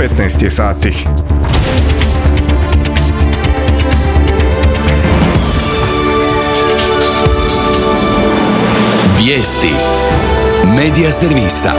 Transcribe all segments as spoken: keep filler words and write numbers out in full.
petnaest je sati. Vijesti Medija servisa.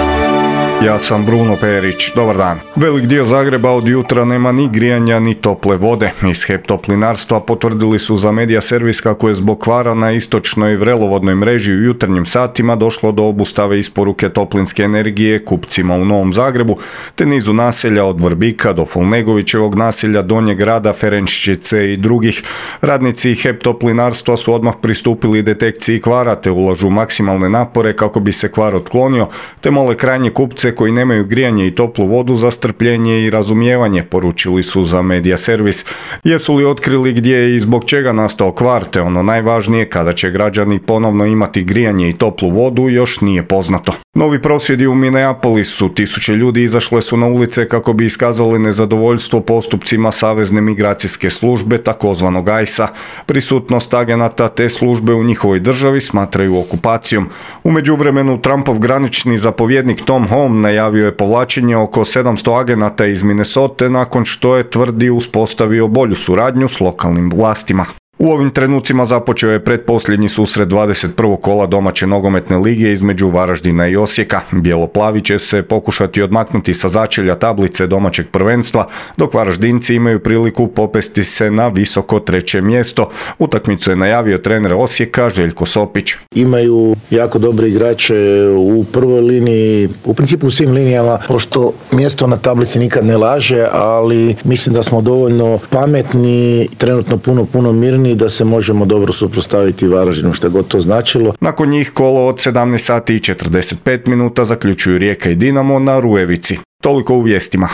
Ja sam Bruno Perić, dobar dan. Velik dio Zagreba od jutra nema ni grijanja ni tople vode. Iz H E P Toplinarstva potvrdili su za Medija servis kako je zbog kvara na istočnoj vrelovodnoj mreži u jutarnjim satima došlo do obustave isporuke toplinske energije kupcima u Novom Zagrebu, te nizu naselja od Vrbika do Fulnegovićevog naselja, Donjeg grada, Ferenčiće i drugih. Radnici H E P Toplinarstva su odmah pristupili detekciji kvara te ulažu maksimalne napore kako bi se kvar otklonio, te mole krajnje kupce koji nemaju grijanje i toplu vodu za strpljenje i razumijevanje, poručili su za Medija servis. Jesu li otkrili gdje je i zbog čega nastao kvar, te ono najvažnije, kada će građani ponovno imati grijanje i toplu vodu, još nije poznato. Novi prosvjedi u Minneapolisu, tisuće ljudi izašle su na ulice kako bi iskazali nezadovoljstvo postupcima Savezne migracijske službe, takozvanog I C E A. Prisutnost agenata te službe u njihovoj državi smatraju okupacijom. U međuvremenu Trumpov granični zapovjednik Tom Home najavio je povlačenje oko sedamsto agenata iz Minnesote nakon što je, tvrdi, uspostavio bolju suradnju s lokalnim vlastima. U ovim trenucima započeo je pretposljednji susret dvadeset prvog kola domaće nogometne lige između Varaždina i Osijeka. Bijelo-plavi će se pokušati odmaknuti sa začelja tablice domaćeg prvenstva, dok Varaždinci imaju priliku popesti se na visoko treće mjesto. Utakmicu je najavio trener Osijeka Željko Sopić. Imaju jako dobre igrače u prvoj liniji, u principu u svim linijama, pošto mjesto na tablici nikad ne laže, ali mislim da smo dovoljno pametni, trenutno puno, puno mirni, da se možemo dobro suprotstaviti Varaždinu, što je god to značilo. Nakon njih kolo od sedamnaest sati i četrdeset pet minuta zaključuju Rijeka i Dinamo na Rujevici. Toliko u vijestima.